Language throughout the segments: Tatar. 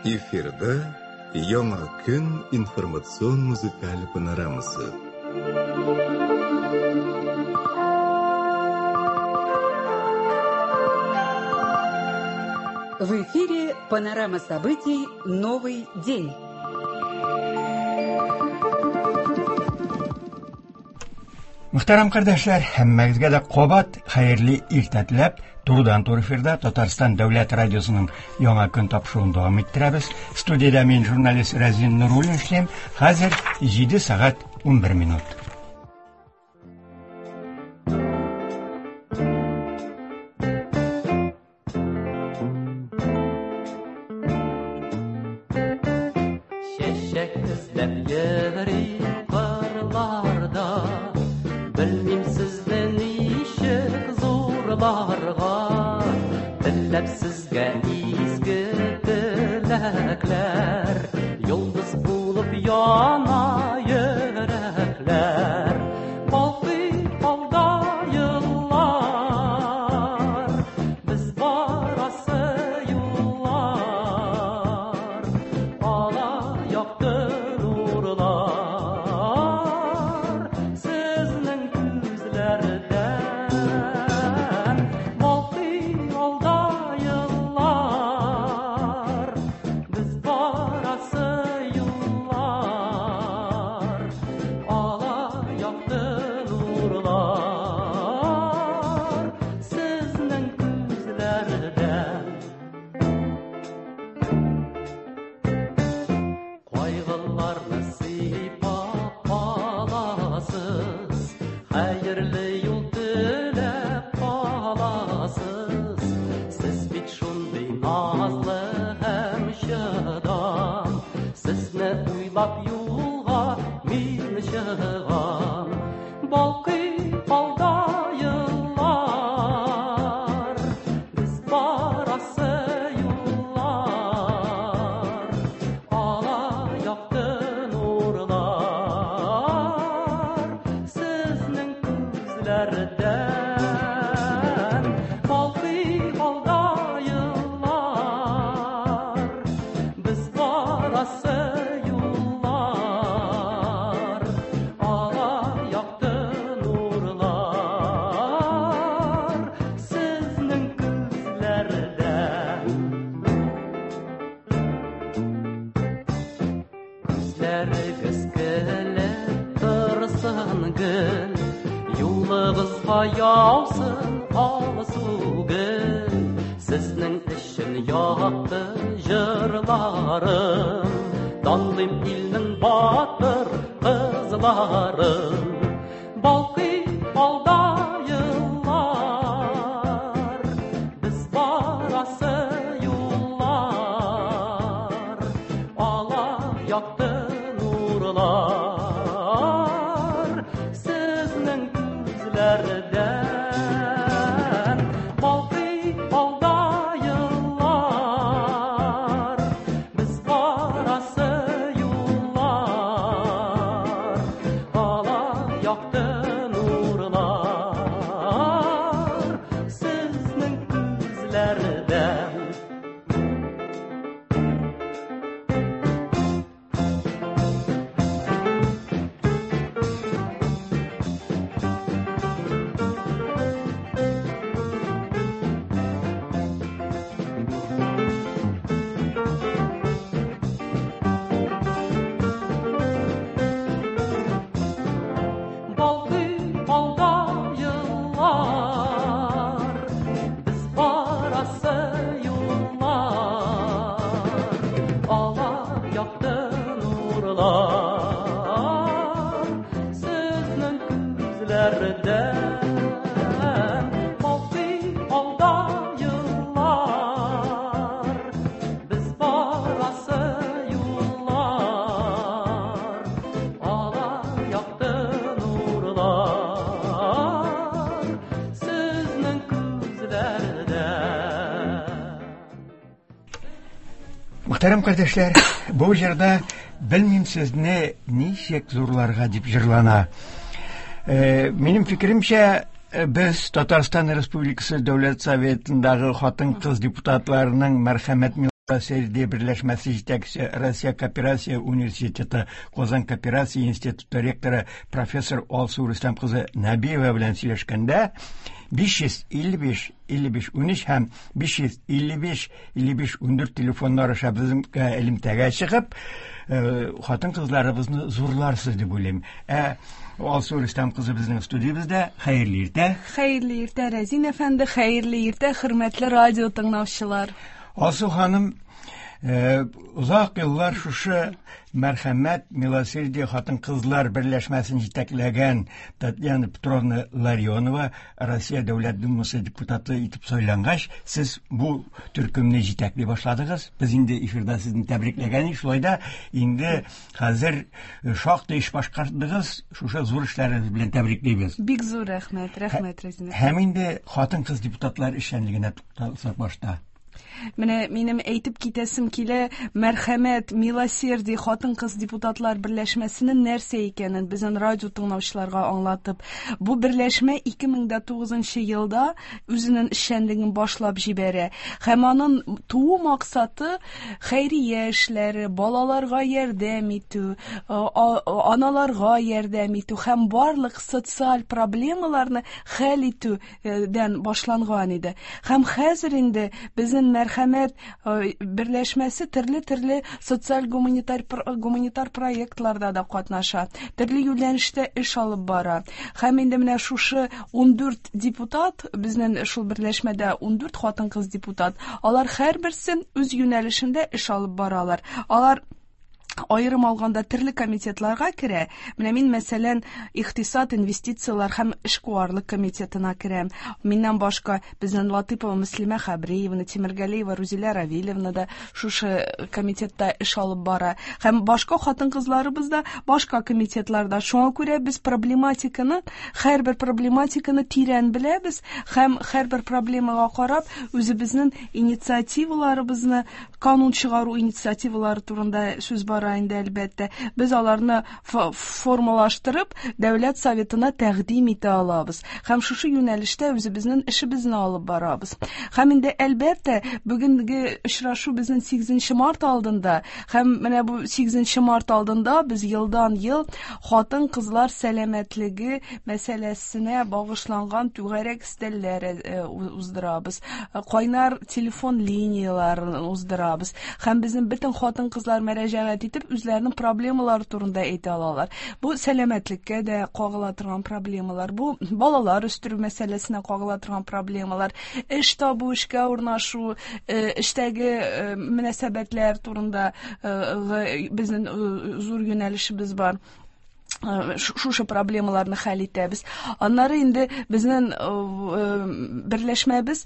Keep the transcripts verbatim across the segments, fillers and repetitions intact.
Эфирда Яңа көн информацион музыкаль панорамасы. В эфире панорама событий «Новый день». Мөхтәрәм кардәшләр, һәммәгезгә дә кабат хәерле иртә теләп, турыдан-туры эфирда Татарстан Дәүләт радиосының Яңа көн тапшыруын дәвам иттерәбез. Студиядә мин, журналист Разин Нуруллин эшлим. Хәзер җиде сәгать унбер минут. Чәчәк эзләп йөри кырларда, белмим сезне ничек зурларга, теләп сезгә изге теләкләр, йолдыз булып яна йөрәкләр. Балкый алда еллар, без барасы юллар, ала якты нурлар сезнең күзләрдән. Балкый алда еллар, без барасы юллар, ала якты нурлар сезнең күзләрдән. Кайгыларны сыйпап каласыз, хәерле юл теләп каласыз. Сез бит шундый назлы һәм чыдам, сезне уйлап юлга мин чыгам. Балкый алда еллар, без барасы юллар, ала якты нурлар сезнең күзләрдән. Балкый алда еллар, без барасы юллар, ала якты нурлар сезнең күзләрдән. Күзләрегез көлеп торсын гел, юлыгызга яусын алсу гөл. Сезнең өчен якты җырларым, данлыйм илнең батыр кызларын. Балкый алда еллар, без барасы юллар, ала якты нурлар сезнең күзләрдән. Балкый алда еллар, без барасы юллар, ала якты нурлар сезнең күзләрдән. Балкый алда еллар, без барасы юллар, ала якты нурлар сезнең күзләрдән. Балкый алда еллар, без барасы юллар, ала якты нурлар сезнең күзләрдән. Мөхтәрәм кардәшләр, бу җырда белмим сезне ничек зурларга дип җырлана. Э, минем фикеремчә, э, без Татарстан Республикасы Дәүләт Советындагы хатын-кыз депутатларының мәрхәмәт Милосердие берләшмәсе җитәкчесе, Россия Кооперация университеты Казан Кооперация институты ректоры профессор Алсу Рөстәм кызы Нәбиева белән сөйләшкәндә биш йөз илле биш илле биш унөч һәм биш йөз илле биш илле биш ундүрт телефоннары аша безгә элемтәгә чыгып, хатын-кызларыбызны зурларсыз дип уйлыйм. Ә Алсу Рөстәм кызы безнең студиябездә. Хәерле иртә. Хәерле иртә, Рәзин әфәнде, хәерле иртә, хөрмәтле радио тыңлаучылар. Алсу ханым, озак еллар шушы Мәрхәмәт Милосердие хатын-кызлар берләшмәсен җитәкләгән Татьяна Петровна Ларионова Россия Дәүләт Думасы депутаты итеп сайлангач, сез бу төркемне җитәкли башладыгыз. Без инде эфирда сезне тәбрикләгән идек, шулай да инде хәзер шактый эш башкардыгыз, шушы зур эшләрегез белән тәбриклибез. Бик зур рәхмәт, рәхмәт, Рәзинә. Һәм инде хатын-кыз депутатлар эшчәнлегенә тукталсак башта. Менә минем әйтеп китәсем килә, Мәрхәмәт Милосердие хатын-кыз депутатлар берләшмәсенең нәрсә икәнен безнең радио тыңлаучыларга аңлатып. Бу берләшмә ике мең дә тугызынчы елда үзенең эшчәнлеген башлап җибәрә. Һәм аның туу максаты хәйрия эшләре, балаларга ярдәм итү, аналарга ярдәм итү һәм барлык социаль проблемаларны хәл итүдән башланган иде. Һәм хәзер инде безнең Мәрхәмәт берләшмәсе төрле-төрле социаль гуманитар, гуманитар проектларда да катнаша, төрле юнәлештә эш алып бара. Һәм инде менә шушы ундүрт депутат, безнең шул берләшмәдә ундүрт хатын-кыз депутат, алар һәрберсе үз юнәлешендә эш алып баралар. Алар аерым алганда төрле комитетларга керә. Менә мин, мәсәлән, икътисад, инвестицияләр һәм эшкуарлык комитетына керәм. Миннән башка безнең Латыпова Мөслимә Хәбриевна, Тимергалиева Рузилә Равилевна да шушы комитетта эш алып бара. Һәм башка хатын-кызларыбыз да башка комитетларда. Шуңа күрә без проблематиканы, һәрбер проблематиканы тирән беләбез һәм һәрбер проблемага карап үзебезнең инициативаларыбызны, канун чыгару инициативалары турында сүз бара инде әлбәттә. Без аларны формалаштырып, Дәүләт Советына тәкъдим итә алабыз. Һәм шушы юнәлештә үзебезнең эшебезне алып барабыз. Һәм инде әлбәттә, бүгенге очрашу безнең сигезенче март алдында. Һәм менә бу сигезенче март алдында без елдан-ел хатын-кызлар сәламәтлеге мәсьәләсенә багышланган түгәрәк өстәлләр уздырабыз. Кайнар телефон линияларын уздырабыз. Һәм безнең бөтен хатын-кызлар мөрәҗәгать итеп үзләренең проблемалары турында әйтә алалар. Бу сәламәтлеккә дә кагыла торган проблемалар, бу балалар үстерү мәсьәләсенә кагыла торган проблемалар, эш табу, эшкә урнашу, эштәге мөнәсәбәтләр турында безнең зур юнәлешебез бар. Шушы проблемаларны хәл итәбез. Аннары инде безнең берләшмәбез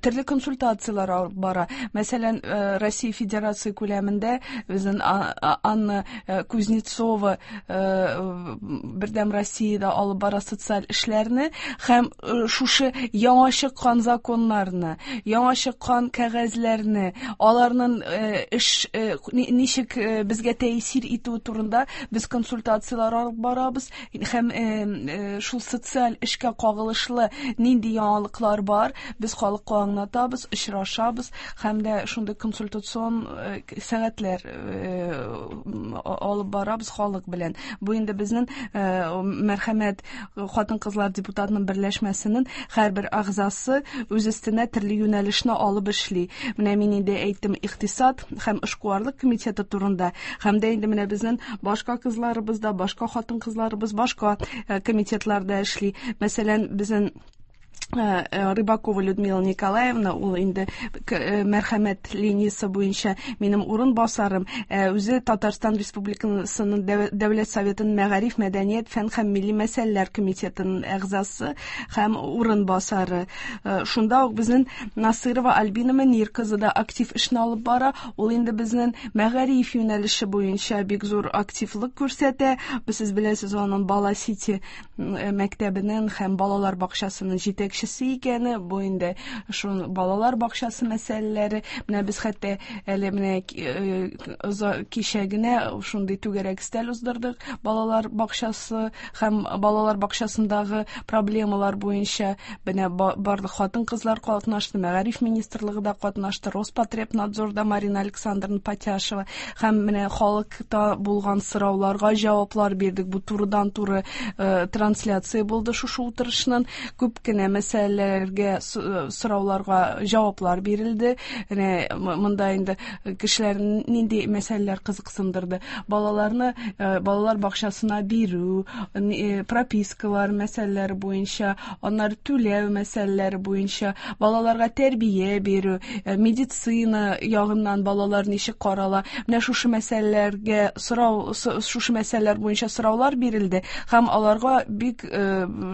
төрле консультацияләр алып бара. Мәсәлән, Россия Федерация күләмендә безнең Анна Кузнецова Бердәм Россиядә алып бара социаль эшләрне һәм шушы яңа чыккан законнарны, яңа чыккан кәгазьләрне, аларның эш ничек безгә тәэсир итүе турында без консультацияләр алып барабыз һәм шул социаль эшкә кагылышлы нинди яңалыклар бар, без халыкка аңлатабыз, очрашабыз һәм дә шундый консультацион сәгатьләр алып барабыз халык белән. Бу инде безнең Мәрхәмәт хатын-кызлар депутатының берләшмәсенең һәрбер әгъзасы үз өстенә төрле юнәлешне алып эшли. Менә мин инде әйттем икътисад һәм эшкуарлык комитеты турында, һәм дә инде менә безнең башка кызларыбыз да, башка хатын-кызларыбыз башка комитетларда эшли. Мәсәлән, безнең Рыбакова Людмила Николаевна, ул инде Мәрхәмәт линиясе буенча минем урын басарым, үзе Татарстан Республикасының Дәүләт Советының Мәгариф, Мәдәният, Фән һәм Милли мәсьәләләр комитетының әгъзасы һәм урын басары. Шунда ук безнең Насырова Альбина Мөнир кызы да актив эшне алып бара. Ул инде безнең мәгариф юнәлеше буенча бик зур активлык күрсәтә. Сез беләсез, аның Бала Сити мәктәбенең һәм балалар бакчасының җитәкчесе. җитәкчесе икәне, бу инде шул балалар бакчасы мәсьәләләре. Менә без хәтта әле менә кичә генә шундый түгәрәк өстәл уздырдык балалар бакчасы һәм балалар бакчасындагы проблемалар буенча. Менә барлык хатын-кызлар катнашты, Мәгариф министрлыгы да катнашты, Роспотребнадзорда Марина Александровна Патяшева, һәм менә халыкта булган сорауларга җаваплар бирдек. Бу турыдан-туры трансляция булды шушы утырышның. Күп кенә мәсьәләләргә, сорауларга җаваплар бирелде. Менә монда инде кешеләр нинди мәсьәләләр кызыксындырды. Балаларны балалар бакчасына бирү, пропискалар мәсьәләләре буенча, аннары түләү мәсьәләләре буенча, балаларга тәрбия бирү, медицина ягыннан балалар ничек карала. Менә шушы мәсьәләләргә сорау, шушы мәсьәләләр буенча сораулар бирелде һәм аларга бик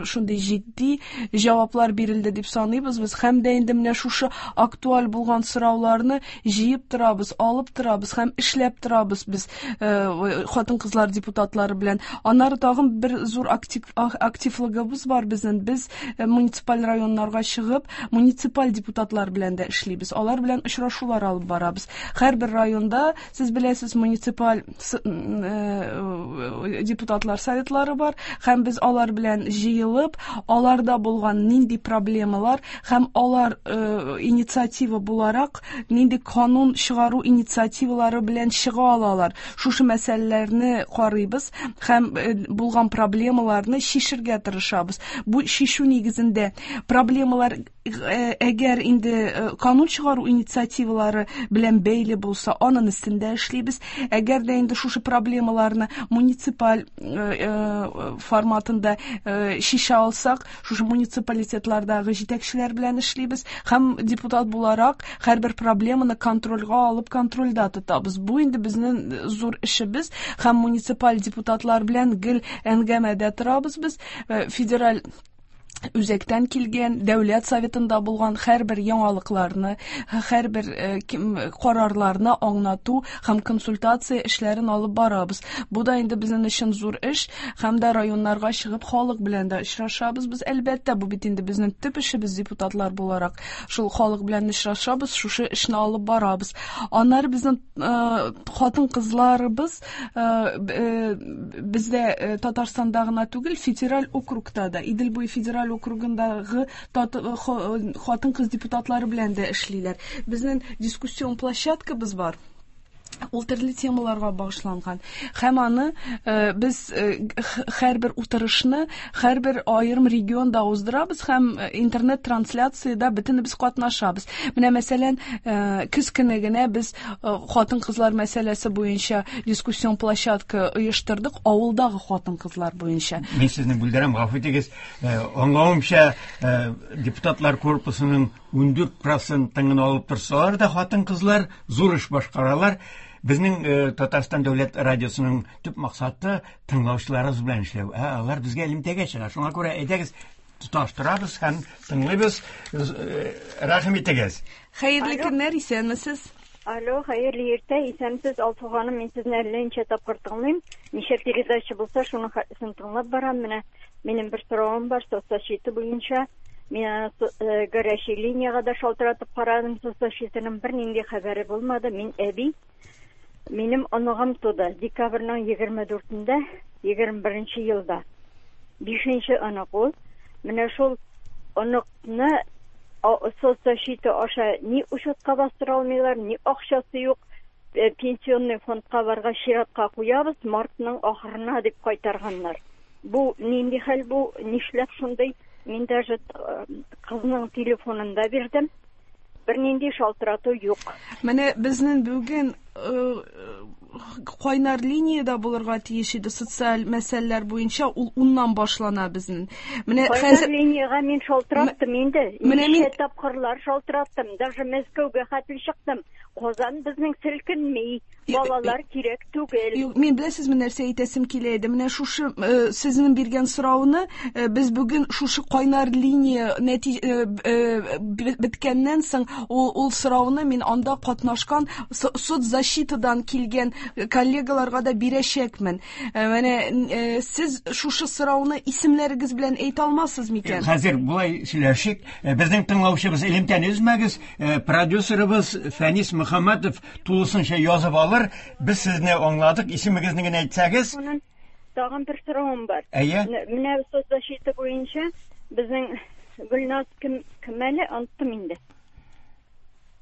шундый җитди җаваплар бирелде дип саныйбыз без. Һәм дә инде менә шушы актуаль булган сорауларны җыеп торабыз, алып торабыз һәм эшләп торабыз без хатын-кызлар депутатлары белән. Аннары тагын бер зур актив, активлыгыбыз бар безнең. Без муниципаль районнарга чыгып, муниципаль депутатлар белән дә эшлибез. Алар белән очрашулар алып барабыз. Һәрбер районда, сез беләсез, муниципаль депутатлар советлары бар һәм без алар белән җыелып, аларда булган нинди проблемалар һәм алар инициатива буларак нинди канун чыгару инициативалары белән чыга алалар. Шушы мәсьәләләрне карыйбыз һәм булган проблемаларны чишергә тырышабыз. Бу чишү нигезендә проблемалар әгәр инде канун чыгару инициативалары белән бәйле булса, аның өстендә эшлибез. Әгәр дә инде шушы проблемаларны муниципаль форматында чишә алсак, шушы муниципалитетлардагы җитәкчеләр белән эшлибез һәм депутат буларак һәрбер проблеманы контрольгә алып, контрольдә тотабыз. Бу инде безнең зур эшебез һәм муниципаль депутатлар белән гел әңгәмәдә торабыз без. Федераль үзәктән килгән, дәүләт советында булган һәрбер яңалыкларны, һәрбер карарларны аңлату һәм консультация эшләрен алып барабыз. Бу да инде безнең өчен зур эш, һәм дә районнарга чыгып халык белән дә очрашабыз без. Әлбәттә, бу бит инде безнең төп эшебез депутатлар буларак. Шул халык белән очрашабыз, шушы эшне алып барабыз. Аннары безнең хатын-кызларыбыз бездә Татарстанда гына түгел, федераль округта да, Идел буе федераль округындагы хатын-кыз депутатлары белән дә эшлиләр. Безнең дискуссион площадкабыз бар. Ул төрле темаларга багышланган. Һәм аны без һәрбер утырышны һәрбер аерым регионда уздырабыз һәм интернет-трансляциядә бөтенебез катнашабыз. Менә мәсәлән, көз көне генә без хатын-кызлар мәсьәләсе буенча дискуссион площадка оештырдык, авылдагы хатын-кызлар буенча. Мин сезне бүлдерәм, гафу итегез. Аңлавымча, депутатлар корпусының ун дүрт процентын гына алып торсалар да, хатын-кызлар зур эш башкаралар. Безнең Татарстан дәүләт радиосының төп максаты тыңлаучыларыбыз белән эшләү. Ә алар безгә элемтәгә чыга. Шуңа күрә әйдәгез, тоташтырабыз һәм тыңлыйбыз. Рәхим итегез. Хәерле көннәр, исәнмесез? Алло, хәерле иртә, исәнмесез, Алсу ханым, мин сезне әллә ничә тапкыр тыңлыйм. Ничә передача булса, шуның хәтлесен тыңлап барам. Менә минем бер соравым бар, соцзащита буенча. Мин горячий линияга да шалтыратып карадым, соцзащитаның бернинди хәбәре булмады. Мин әби, минем оныгым туды декабрьнең егерме дүртендә, егерме беренче елда. Бишенче онык ул. Менә шул оныкны соцзащита аша ни учетка бастыра алмыйлар, ни акчасы юк. Пенсионный фондка баргач чиратка куябыз, мартның ахырына дип кайтарганнар. Бу нинди хәл, бу нишләп шундый? Мин даже кызның телефонын да бирдем. Бернинди шалтырату юк. Менә безнең бүген кайнар линиядә булырга тиеш иде социаль мәсьәләләр буенча, ул уннан башлана безнең. Менә хәзер линиягә мин шалтыраттым инде. Менә мин тапкырлар шалтыраттым, даже Мәскәүгә хәтле чыктым. Казан безнең селкенми, балалар кирәк түгел. Юк, мин беләсезме нәрсә әйтәсем килә иде? Менә шушы сезнең биргән сорауны без бүген шушы кайнар линия беткәннән соң ул, ул сорауны мин анда катнашкан соцзащитадан килгән коллегаларга да бирәчәкмен. Менә сез шушы сорауны исемнәрегез белән әйтә алмассыз микән? Хәзер болай сөйләшик. Безнең тыңлаучыбыз элемтәне өзмәгез. Продюсерыбыз Фәнис Мөхәммәтов тулысынча язып алыр. Без сезне аңладык. Исемегезне генә әйтсәгез. Тагын бер соравым бар. Әйе. Менә соцзащита буенча безнең Гөлназ кем кем әле оныттым инде.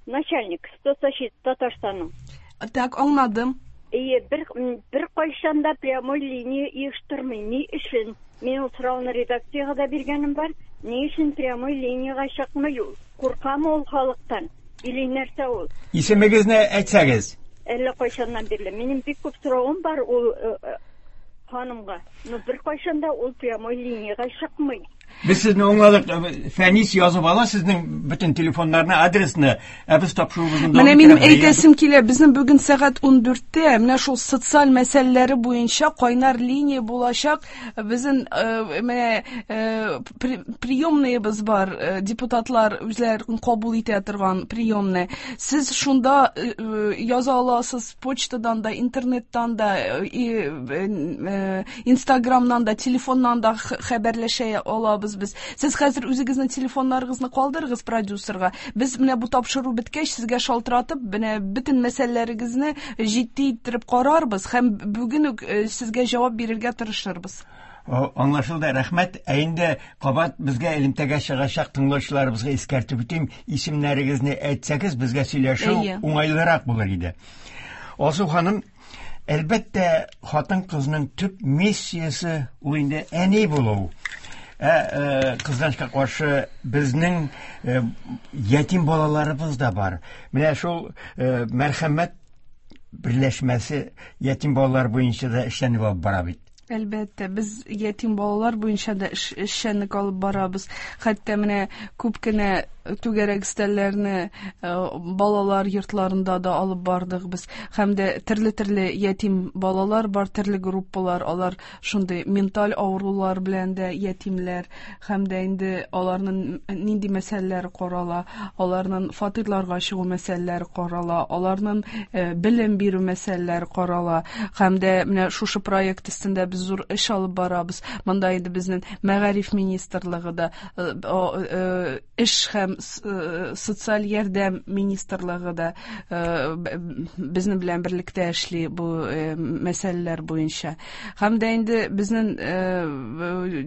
Начальник соцзащита Татарстанның. Так, аңладым. Әйе, бер бер кайчан да прямой линия оештырмый. Ни өчен? Мин ул сорауны редакциягә дә биргәнем бар. Ни өчен прямой линиягә чыкмый ул? Куркамы ул халыктан? Или нәрсә ул? Исемегезне әйтсәгез. Әллә кайчаннан бирле. Минем бик күп соравым бар ул ханымга. Но бер кайчан да ул прямой линиягә чыкмый. Без сезне аңладык. Фәнис язып ала сезнең бөтен телефоннарны, адресны. Ә без тапшыруыбызны дәвам Менә минем итәбез. әйтәсем килә, безнең бүген сәгать ундүрттә менә шул социаль мәсьәләләре буенча кайнар линия булачак. Безнең менә приемныйыбыз бар, депутатлар үзләрен кабул итә торган приемный. Сез шунда яза аласыз, почтадан да, интернеттан да, Инстаграмнан да, телефоннан да хәбәрләшә алабыз без. Сез хәзер үзегезнең телефоннарыгызны калдырыгыз продюсерга. Без менә бу тапшыру беткәч сезгә шалтыратып, менә бөтен мәсьәләләрегезне җитди иттереп карарбыз һәм бүген үк сезгә җавап бирергә тырышырбыз. Аңлашылды, рәхмәт. Ә инде кабат безгә элемтәгә чыгачак тыңлаучыларыбызга искәртеп үтим, исемнәрегезне әйтсәгез, безгә сөйләшү уңайлырак булыр иде. Алсу ханым, әлбәттә, хатын-кызның төп миссиясе ул инде әни булу. Ә кызганычка каршы безнең ятим балаларыбыз да бар. Менә шул Мәрхәмәт берләшмәсе ятим балалар буенча да эшләнеп алып бара бит. Әлбәттә, без ятим балалар буенча да эшчәнлек алып барабыз. Хәтта менә күп кенә түгәрәк өстәлләрне балалар йортларында да алып бардык без. Һәм дә төрле-төрле ятим балалар бар, төрле группалар, алар шундый менталь авырулар белән дә ятимләр, һәм дә инде аларның нинди мәсьәләләре карала, аларның фатирларга чыгу мәсьәләләре карала, аларның белем бирү мәсьәләләре карала. Һәм дә менә шушы проект өстендә без зур эш алып барабыз. Монда инде безнең Мәгариф министрлыгы да, эш һәм социаль ярдәм министрлыгы да безнең белән берлектә эшли бу мәсьәләләр буенча. Һәм дә инде безнең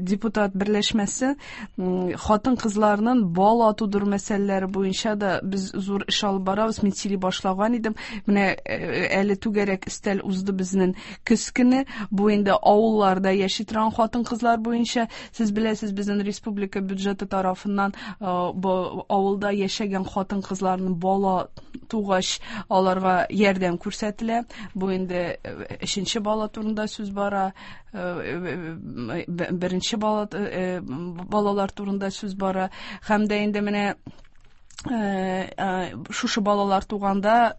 депутат берләшмәсе хатын-кызларның бала тудыру мәсьәләләре буенча да без зур эш алып барабыз. Мин сөйли башлаган идем. Менә әле түгәрәк өстәл узды безнең көз көне. Бу инде авылларда яши торган хатын-кызлар буенча. Сез беләсез, безнең республика бюджеты тарафыннан бу авылда яшәгән хатын-кызларның бала тугач аларга ярдәм күрсәтелә. Бу инде өченче бала турында сүз бара, беренче бала балалар турында сүз бара. Һәм дә инде менә шушы балалар туганда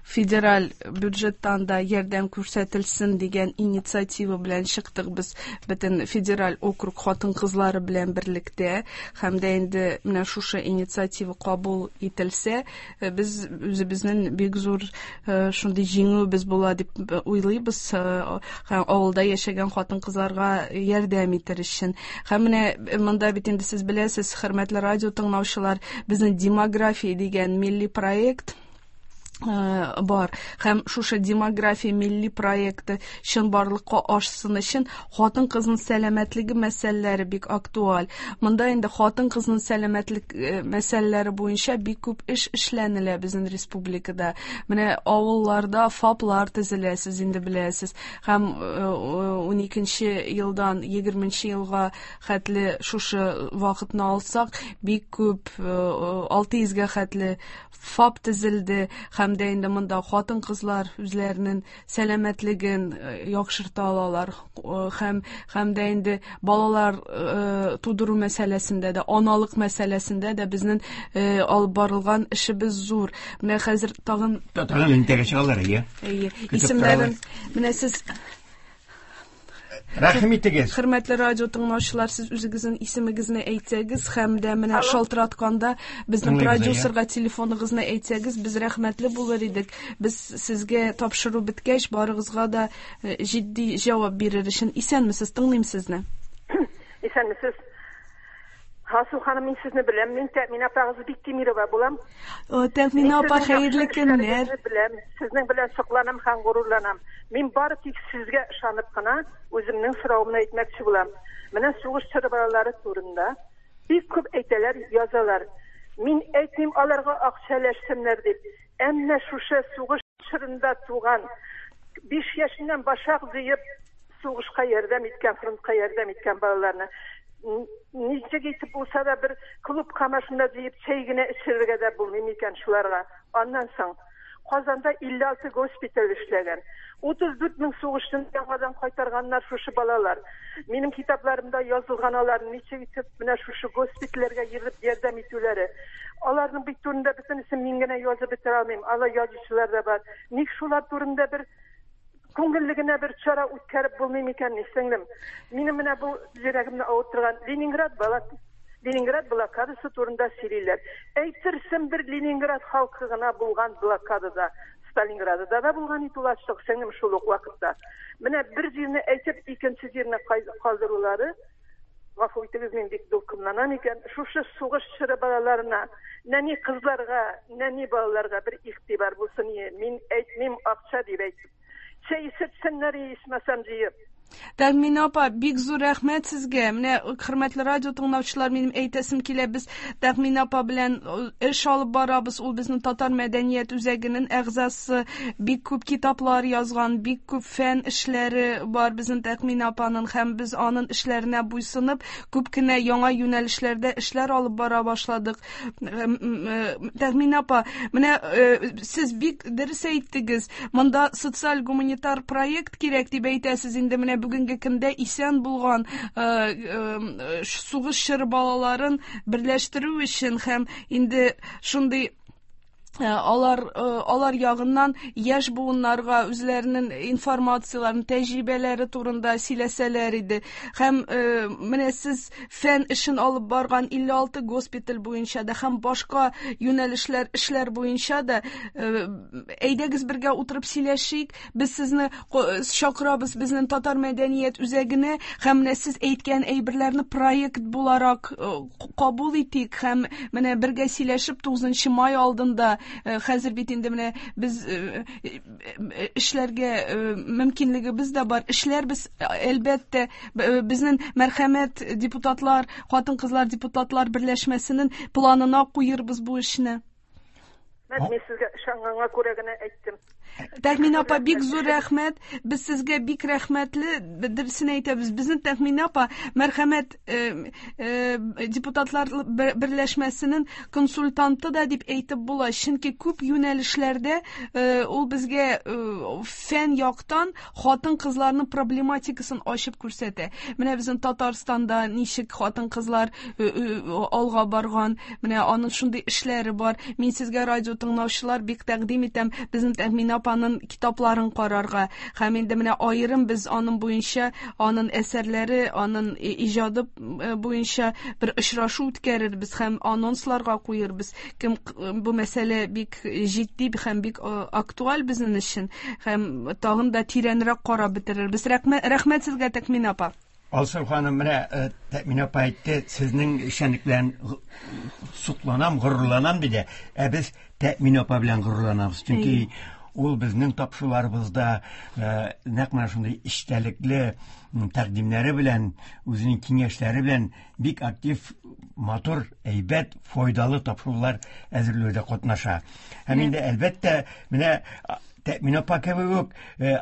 федераль бюджеттан да ярдәм күрсәтелсен дигән инициатива белән чыктык без бөтен федераль округ хатын-кызлары белән берлектә. Һәм дә инде менә шушы инициатива кабул ителсә, без үзебезнең бик зур шундый җиңүебез була дип уйлыйбыз. Һәм авылда яшәгән хатын-кызларга ярдәм итер өчен. Һәм менә монда бит инде сез беләсез, хөрмәтле радио тыңлаучылар, безнең демография дигән милли проект бар. Һәм шушы демография милли проекты чынбарлыкка ашсын өчен хатын-кызның сәламәтлеге мәсьәләләре бик актуаль. Монда инде хатын-кызның сәламәтлек мәсьәләләре буенча бик күп эш эшләнелә безнең республикада. Менә авылларда ФАПлар төзелә, сез инде беләсез. Һәм уникенче елдан егерменче елга хәтле шушы вакытны алсак, бик күп алты йөзгә хәтле ФАП төзелде. Һәм дә инде монда хатын-кызлар үзләренең сәламәтлеген яхшырта алалар. Һәм һәм дә инде балалар тудыру мәсьәләсендә дә, аналык мәсьәләсендә дә безнең алып барылган эшебез зур. Менә хәзер тагын тагын элемтәгә чыгалар, әйе. Әйе. Исемнәрен менә сез Рәхим итегез. Хөрмәтле радио тыңлаучылар, сез үзегезнең исемегезне әйтсәгез һәм дә менә шалтыратканда безнең продюсерга телефоныгызны әйтсәгез, без рәхмәтле булыр идек. Без сезгә тапшыру беткәч, барыгызга да җитди җавап бирер өчен. Исәнмесез, тыңлыйм сезне. Исәнмесез. Алсу ханым, мин сезне беләм. Мин Тәэминә апагыз Биктимирова булам. Тәэминә апа, хәерле көннәр. Беләм, сезнең белән сокланам һәм горурланам. Мин бары тик сезгә ышанып кына үземнең соравымны әйтмәкче булам. Менә сугыш чоры балалары турында бик күп әйтәләр, язалар. Мин әйтмим аларга акча өләшсеннәр дип. Әмма шушы сугыш чорында туган биш яшеннән башак җыеп сугышка ярдәм иткән, фронтка ярдәм иткән балаларны ничек итеп булса да бер клубка машина җыеп чәй генә эчерергә дә булмый микән шуларга. Аннан соң Казанда илле алты госпиталь эшләгән. утыз дүрт мең сугышчыны яңадан кайтарганнар шушы балалар. Минем китапларымда язылган алар ничек итеп менә шушы госпитальләргә йөреп ярдәм итүләре. Аларның бит турында бөтенесен мин генә язып бетерә алмыйм. Алар язучылар да бар. Ник шулар турында бер күңелле генә бер чара үткәреп булмый микән, сеңлем? Минем менә бу йөрәгемне авырттырган Ленинград бала Ленинград блокадасы турында сөйлиләр. Әйтерсең бер Ленинград халкы гына булган блокадада, Сталинградда да булган ит ул ачлык, сеңлем, шул ук вакытта. Менә бер җирне әйтеп, икенче җирне калдырулары, гафу итегез, мин бик дулкынланам икән. Шушы сугыш чоры балаларына, нәни кызларга, нәни балаларга бер игътибар булсын. Мин әйтмим акча дип әйтеп. Чәй эчсеннәр, ичмәсәм җыеп. Тәэминә апа, бик зур рәхмәт сезгә. Менә хөрмәтле радио тыңлаучылар, минем әйтәсем килә, без Тәэминә апа белән эш алып барабыз. Ул безнең Татар мәдәният үзәгенең әгъзасы, бик күп китаплар язган, бик күп фән эшләре бар безнең Тәэминә апаның, һәм без аның эшләренә буйсынып, күп кенә яңа юнәлешләрдә эшләр алып бара башладык. Тәэминә апа, менә сез бик дөрес әйттегез. Монда социаль-гуманитар проект кирәк дип әйтәсез инде. Менә бүгенге көндә исән булган сугыш чоры балаларын берләштерү өчен һәм инде шундый алар алар ягыннан яшь буыннарга үзләренең информацияларын, тәҗрибәләре турында сөйләсәләр иде. Һәм менә сез фән эшен алып барган илле алты госпиталь буенча да һәм башка юнәлешләр эшләр буенча да әйдәгез бергә утырып сөйләшик. Без сезне чакырабыз безнең Татар мәдәният үзәгенә һәм менә сез әйткән әйберләрне проект буларак кабул итик һәм менә бергә сөйләшеп тугызынчы май алдында хәзер бит инде менә без эшләргә мөмкинлегебез дә бар. Эшләрбез, әлбәттә, безнең мәрхәмәт депутатлар, хатын-кызлар депутатлар берләшмәсенең планына куербыз бу эшне. Мин сезгә ышанганга күрә генә әйттем. Тәэминә апа, бик зур рәхмәт. Без сезгә бик рәхмәтле. Дөресен әйтәбез. Безнең Тәэминә апа мәрхәмәт депутатлар берләшмәсенең консультанты да дип әйтеп була. Чөнки күп юнәлешләрдә ул безгә фән яктан хатын-кызларның проблематикасын ачып күрсәтә. Менә безнең Татарстанда ничек хатын-кызлар алга барган, менә аның шундый эшләре бар. Мин сезгә радио тыңлаучылар бик тәкъдим итәм безнең Тәэминә апаның китапларын карарга. Һәм инде менә аерым без аның буенча, аның әсәрләре, аның иҗады буенча бер очрашу үткәрербез һәм анонсларга куербыз. Кем бу мәсьәлә бик җитди һәм бик актуаль безнең өчен һәм тагын да тирәнрәк карап бетерербез. Рәхмәт сезгә, Тәэминә апа. Алсу ханым, менә Тәэминә апа әйтте, сезнең эшчәнлек белән сокланам, горурланам диде. Ә без Тәэминә апа белән горурланабыз. Чөнки ул безнең тапшыруларыбызда нәкъ менә шундый эчтәлекле тәкъдимнәре белән, үзенең киңәшләре белән бик актив, матур, әйбәт, файдалы тапшырулар әзерләүдә катнаша. Һәм инде әлбәттә, менә Тәэминә апа кебек үк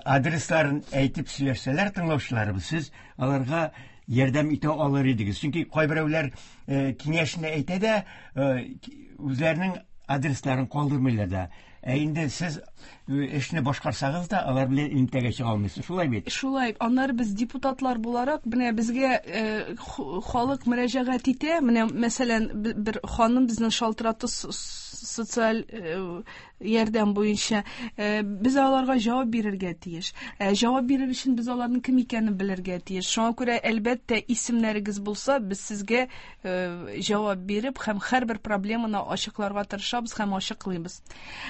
адресларын әйтеп сөйләшсәләр тыңлаучыларыбыз, сез аларга ярдәм итә алыр идегез. Чөнки кайберәүләр киңәшне әйтә дә, үзләренең адресларын калдырмыйлар да. Ә инде сез эшне башкарсагыз да, алар белән элемтәгә чыга алмыйсыз. Шулай бит? Шулай. Аннары без депутатлар буларак, менә безгә халык мөрәҗәгать итә. Менә мәсәлән, бер ханым безнең шалтыратты социаль ярдәм буенча, э, без аларга җавап бирергә тиеш. Э, җавап бирер өчен без аларның кем икәнен белергә тиеш. Шуңа күрә, әлбәттә, исемнәрегез булса, без сезгә э, җавап биреп һәм һәрбер проблеманы ачыкларга тырышабыз һәм ачыклыйбыз.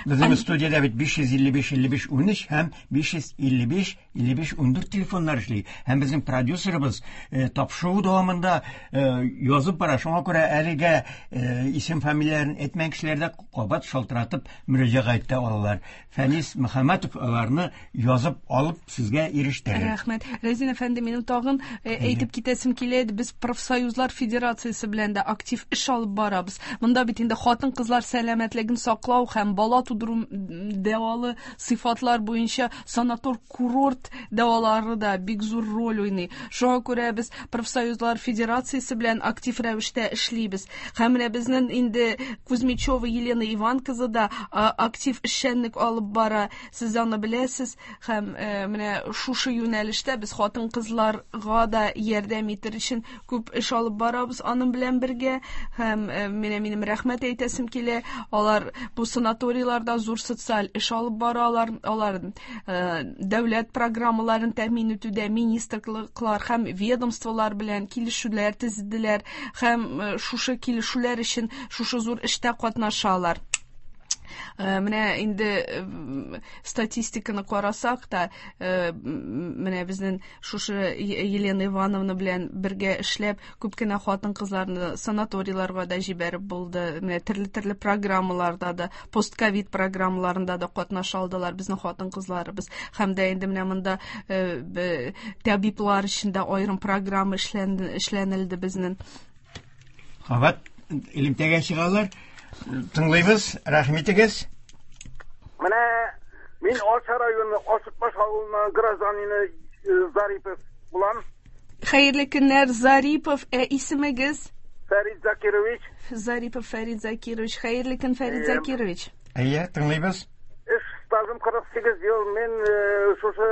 Безнең студиядә бит биш йөз илле биш илле биш унөч һәм биш йөз илле биш илле биш ундүрт телефоннар эшли. Һәм безнең продюсерыбыз, э, тапшыру дәвамында, э, язып бара. Шуңа күрә әлегә, э, исем фамилияләрен әйтмәгән кешеләр дә кабат шалтыратып мөрәҗәгать итә алалар. Фәнис Мөхәммәтов аларны язып алып сезгә ирештерер. Рәхмәт. Рәзин әфәнде, минем тагын, э, әйтеп китәсем килә иде. Без профсоюзлар федерациясе белән дә актив эш алып барабыз. Монда бит инде хатын-кызлар сәламәтлеген саклау һәм бала тудыру дәвалы сыйфатлар буенча санатор курорт дәвалары да бик зур роль уйный. Шуңа күрә без профсоюзлар федерациясе белән актив рәвештә эшлибез. Һәм менә безнең инде Кузьмичева Елена Иван кызы да, а, актив эшчәнлек алып бара. Сез аны беләсез. Һәм, э, менә шушы юнәлештә без хатын-кызларга да ярдәм итер өчен күп эш алып барабыз аның белән бергә. Һәм, э, менә минем рәхмәт әйтәсем килә. Алар бу санаторийларда зур социаль эш алып баралар. Алар, э, дәүләт программаларын тәэмин итүдә министрлыклар һәм ведомстволар белән килешүләр төзеделәр һәм, э, шушы килешүләр өчен шушы зур эштә катнашалар. Э, менә инде, э, статистиканы карасак та, э, менә безнең шушы Е-, Елена Ивановна белән бергә эшләп, күп кенә хатын-кызларны санаторийларга да җибәреп булды. Менә төрле-төрле программаларда да, постковид программаларында да катнаша алдылар безнең хатын-кызларыбыз. Һәм дә инде менә монда, э, б-, табиблар өчен дә аерым программа эшләнде, эшләнелде безнең. Кабат элемтәгә чыгалар. Тыңлыйбыз, рәхим итегез. Менә мин Арча районы Ашытбаш авылыннан гражданины, э, Зарипов булам. Хәерле көннәр, Зарипов. Ә исемегез? Фәрид Закирович. Зарипов Фәрид Закирович. Хәерле көн, Фәрид Әйе. Закирович. Әйе, тыңлыйбыз. Эш стажым кырык сигез ел. Мин, э, шушы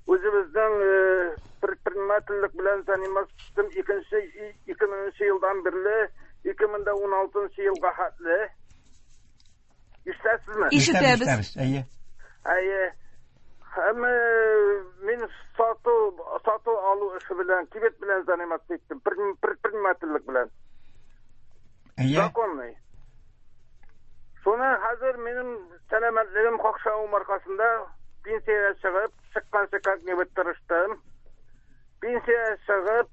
үзебезнең, э, предпринимательлек белән заниматься икенче, ике меңенче елдан бирле ике мең дә уналтынчы елга хәтле. Ишетәсезме? Ишетәбез. Ишетәбез, әйе. Әйе. Һәм, э, мин сату, сату алу эше белән, кибет белән заниматься иттем, предпри-, предпринимательлек белән. Әйе. Законный. Шуны хәзер минем сәламәтлегем какшавым аркасында пенсиягә чыгып, чыкканчы как-нибудь тырыштым. Пенсиягә чыгып,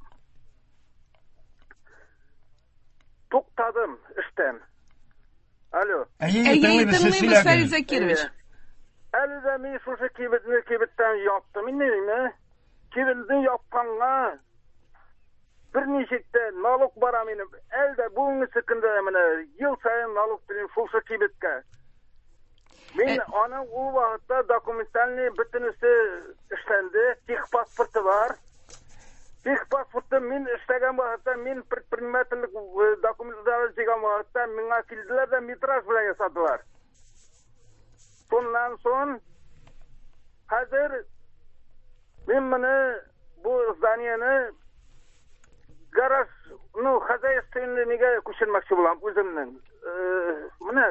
туктадым эштән. Алло. Әйе, Әйе, тыңлыйбыз, сез тыңлыйбыз, сөйләгез. Фәрид Закирович. Әйе. Әле дә мин шушы кибетне кибеттән яптым. Инде ниме? Кибетне япканга берничек тә налог бара минем. Әле дә бүгенге көндә менә ел саен налог түлим шушы кибеткә. Мин Э, аның ул вакытта документальный бөтенесе эшләнде, техпаспорты бар. Техпаспортты мин эшләгән вакытта, мин предпринимательлек, э, документлары җыйган вакытта миңа килделәр дә метраж белән ясадылар. Шуннан соң хәзер мин моны бу зданиене гараж, ну, хозяйственный нигә күчермәкче булам үземнең. Э, менә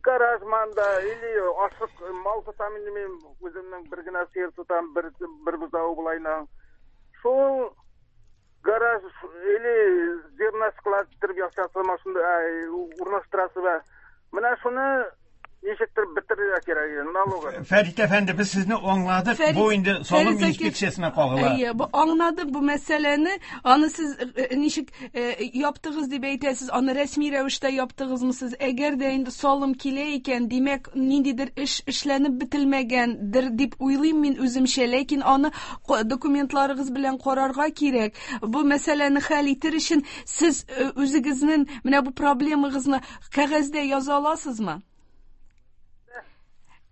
гараж манда или ашык мал тотам инде мин үземнең бер генә сыер тотам, бер, бер бозау булайна. Шул гараж или зерна склад иттереп ясасы машина, ай, урнаштырасы бар. Менә шуны ничектер бетерергә кирәк иде, налогы. Фәрит әфәнде, без сезне аңладык. Фәрит, Бу инде салым Фәрит Закир- инспекциясенә кагыла. Әйе, бу аңладык бу мәсьәләне. Аны сез, э, ничек, э, яптыгыз дип әйтәсез, аны рәсми рәвештә яптыгызмы сез? Әгәр дә инде салым килә икән, димәк, ниндидер эш эшләнеп бетелмәгәндер дип уйлыйм мин үземчә, ләкин аны ко-, документларыгыз белән карарга кирәк. Бу мәсьәләне хәл итер өчен сез, э, үзегезнең менә бу проблемагызны кәгазьдә яза аласызмы?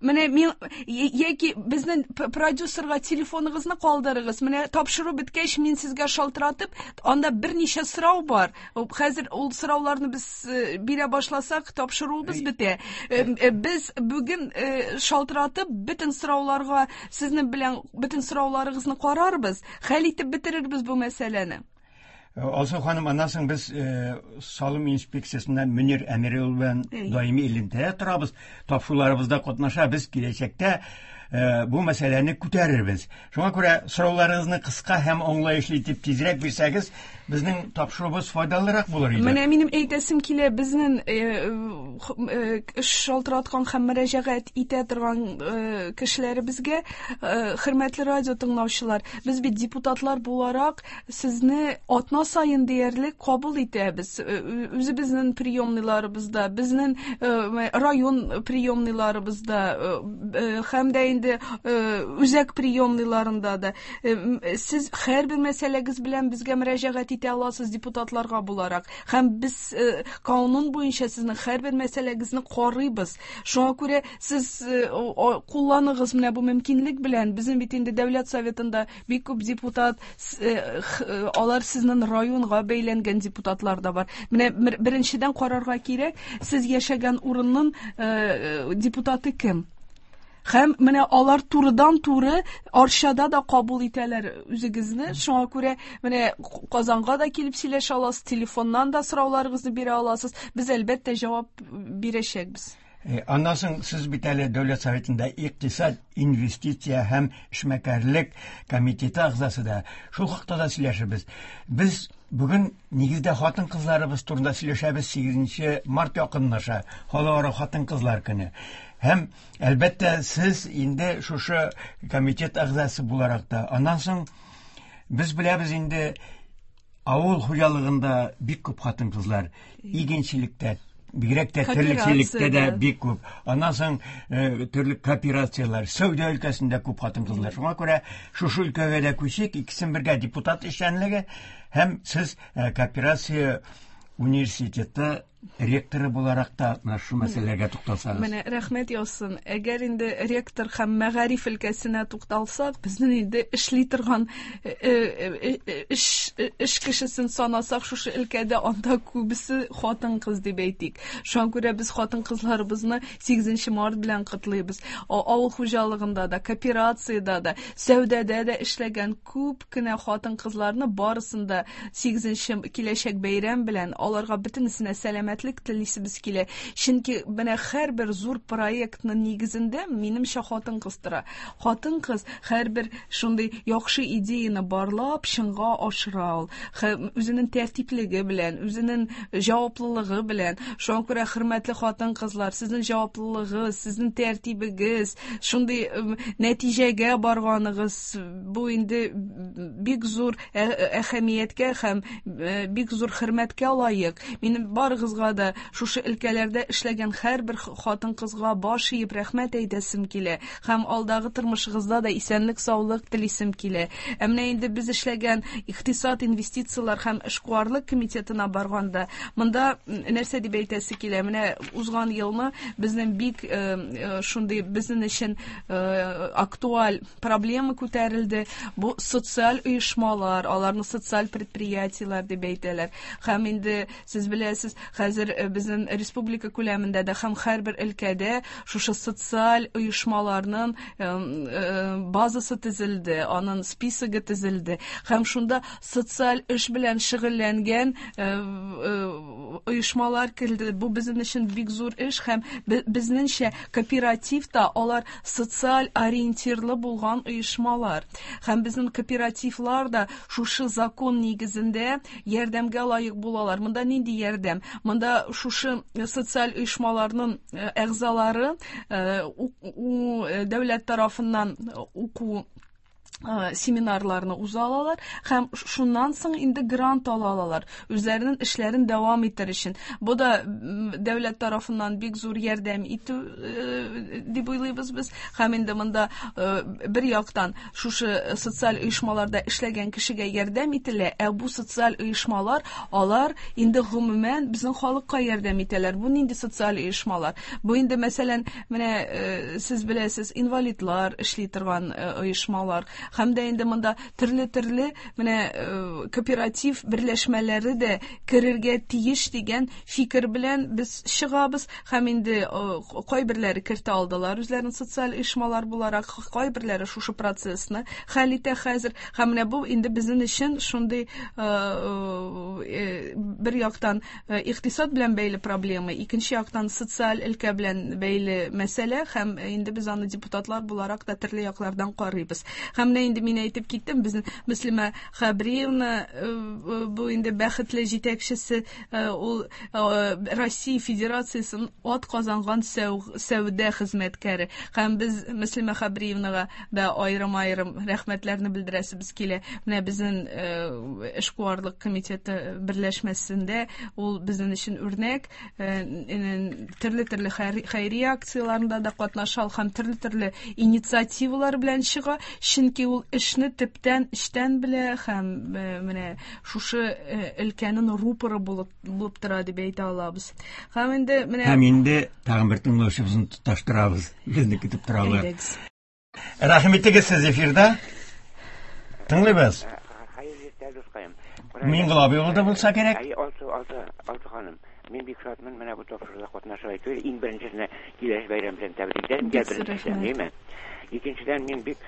Менә мин, яки безнең п-, продюсерга телефоныгызны калдырыгыз. Менә тапшыру беткәч, мин сезгә шалтыратып, анда берничә сорау бар. Хәзер ул сорауларны без, э, бирә башласак, тапшыруыбыз бетә. Э, э, без бүген, э, шалтыратып, бөтен сорауларга сезнең белән бөтен сорауларыгызны карарбыз, хәл итеп бетерербез бу мәсьәләне. Алсу ханым, аннан соң без салым инспекциясеннән Мөнир Әмиров белән даими элемтәдә торабыз, тапшыруларыбызда катнаша, без киләчәктә бу мәсьәләне күтәрербез. Шуңа күрә сорауларыгызны кыска һәм аңлаешлы итеп тизрәк бирсәгез, безнең тапшыруыбыз файдалырак булыр иде. Менә минем әйтәсем килә, безнең эш шалтыраткан һәм мөрәҗәгать итә торган кешеләребезгә, хөрмәтле радио тыңлаучылар, без бит депутатлар буларак сезне атна саен диярлек кабул итәбез. Үзебезнең приемныйларыбызда, безнең район приемныйларыбызда һәм дә инде үзәк приемныйларында да. Сез һәрбер мәсьәләгез белән безгә мөрәҗәгать итә аласыз депутатларга буларак. Һәм без канун буенча сезнең һәрбер мәсьәләгезне карыйбыз. Шуңа күрә сез кулланыгыз менә бу мөмкинлек белән. Безнең бит инде Дәүләт Советында бик күп депутат, алар сезнең районга бәйләнгән депутатлар да бар. Менә беренчедән карарга кирәк, сез яшәгән урынның депутаты кем? Һәм менә алар турыдан-туры Арчада да кабул итәләр үзегезне. Шуңа күрә менә Казанга да килеп сөйләшә аласыз, телефоннан да сорауларыгызны бирә аласыз. Без әлбәттә җавап бирәчәкбез. Аннан соң сез бит әле Дәүләт Советында икътисад, инвестиция һәм эшмәкәрлек комитеты әгъзасы да. Шул хакта да сөйләшербез. Без бүген нигездә хатын-кызларыбыз турында сөйләшәбез. Сигезенче март якынлаша, Халыкара хатын-кызлар көне. Һәм әлбәттә сез инде шушы комитет әгъзасы буларак та. Аннан соң без беләбез инде авыл хуҗалыгында бик күп хатын-кызлар, игенчелектә, бигрәк тә терлекчелектә дә бик күп. Аннан соң төрле кооперацияләр, сәүдә өлкәсендә күп хатын-кызлар. Шуңа күрә шушы өлкәгә дә күчик, икесен бергә депутат эшчәнлеге һәм сез кооперация университеты ректоры буларак та менә шу мәсьәләгә тукталсагыз. Менә рәхмәт яусын. Әгәр инде ректор һәм мәгариф өлкәсенә тукталсак, безнең инде эшли торган эш эш кешесен санасак, шушы өлкәдә анда күбесе хатын-кыз дип әйтик. Шуңа күрә без хатын-кызларыбызны сигезенче март белән котлыйбыз. Авыл хуҗалыгында да, кооперациядә дә, сәүдәдә дә эшләгән күп кенә хатын-кызларны барысын да сигезенче киләчәк бәйрәм белән аларга бөтенесенә сәламәтлек телисебез килә. Чөнки менә һәрбер зур проектның нигезендә минемчә хатын-кыз тора. Хатын-кыз һәрбер шундый яхшы идеяны барлап чынга ашыра ул. Үзенең тәртиплеге белән, үзенең җаваплылыгы белән. Шуңа күрә хөрмәтле хатын-кызлар, сезнең җаваплылыгыз, сезнең тәртибегез, шундый нәтиҗәгә барганыгыз бу инде бик зур әһәмияткә һәм бик зур хөрмәткә лаек. Минем барыгызга да шушы өлкәләрдә эшләгән һәрбер хатын-кызга баш иеп рәхмәт әйтәсем килә һәм алдагы тормышыгызда да исәнлек, саулык телисем килә. Ә менә инде без эшләгән икътисад, инвестицияләр һәм эшкуарлык комитетына барганда, монда нәрсә дип әйтәсе килә? Менә узган елны безнең бик шундый безнең өчен актуаль проблема күтәрелде. Бу социаль оешмалар, аларны социаль предприятиеләр дип әйтәләр. Һәм инде сез беләсез, хәзер безнең республика күләмендә дә һәм һәрбер өлкәдә шушы социаль оешмаларның базасы төзелде, аның списогы төзелде. Һәм шунда социаль эш белән шөгыльләнгән оешмалар килде. Бу безнең өчен бик зур эш һәм безнеңчә кооперативта алар социаль ориентирлы булган оешмалар. Һәм безнең кооперативлар да шушы закон нигезендә ярдәмгә лаек булалар. Монда нинди ярдәм? Монда шушы социаль оешмаларның әгъзалары дәүләт тарафыннан уку семинарларны уза алалар һәм шуннан соң инде грант ала алалар үзләренең эшләрен дәвам итәр өчен. Бу да дәүләт тарафыннан бик зур ярдәм итү дип уйлыйбыз без. Һәм инде монда бер яктан шушы социаль оешмаларда эшләгән кешегә ярдәм ителә, ә бу социаль оешмалар алар инде гомумән безнең халыкка ярдәм итәләр. Бу нинди социаль оешмалар? Бу инде мәсәлән, менә сез беләсез, инвалидлар эшли торган оешмалар Һәм дә инде монда төрле-төрле менә кооператив берләшмәләре дә керергә тиеш дигән фикер белән без чыгабыз. Һәм инде кайберләре кертә алдылар үзләрен социаль оешмалар буларак, кайберләре шушы процессны хәл итә хәзер. Һәм менә бу инде безнең өчен шундый бер яктан икътисад белән бәйле проблема, икенче яктан социаль өлкә белән бәйле мәсьәлә, һәм инде без аны депутатлар буларак та төрле яклардан карыйбыз. Һәм менә инде мин әйтеп киттем, безнең Мөслимә Хәбриевна бу инде бәхетле җитәкчесе, ул Россия Федерациясенең ат казанган сәүдә хезмәткәре. Һәм без Мөслимә Хәбриевнага да аерым-аерым рәхмәтләрне белдерәсебез килә. Менә безнең эшкуарлык комитеты берләшмәсендә ул безнең өчен үрнәк, төрле-төрле хәйрия акцияләрендә дә катнаша һәм төрле-төрле инициативалар белән чыга, чөнки ул эшне төптән, эчтән белә һәм менә шушы өлкәнең рупоры булып, булып тора дип әйтә алабыз. Һәм инде менә Һәм инде тагын бер тыңлаучыбызны тоташтырабыз. Безне көтеп торалар. Рәхим итегез, сез эфирда. Тыңлыйбыз. Миңгол абый улы булса кирәк. Әй, Алсу, Алсу, Алсу ханым, мин бик шатмын, менә бу тапшыруда катнашып әйтү. Иң беренчесенә киләсе бәйрәм белән тәбрик итәм, беренчедән, димме? Икенчедән, мин бик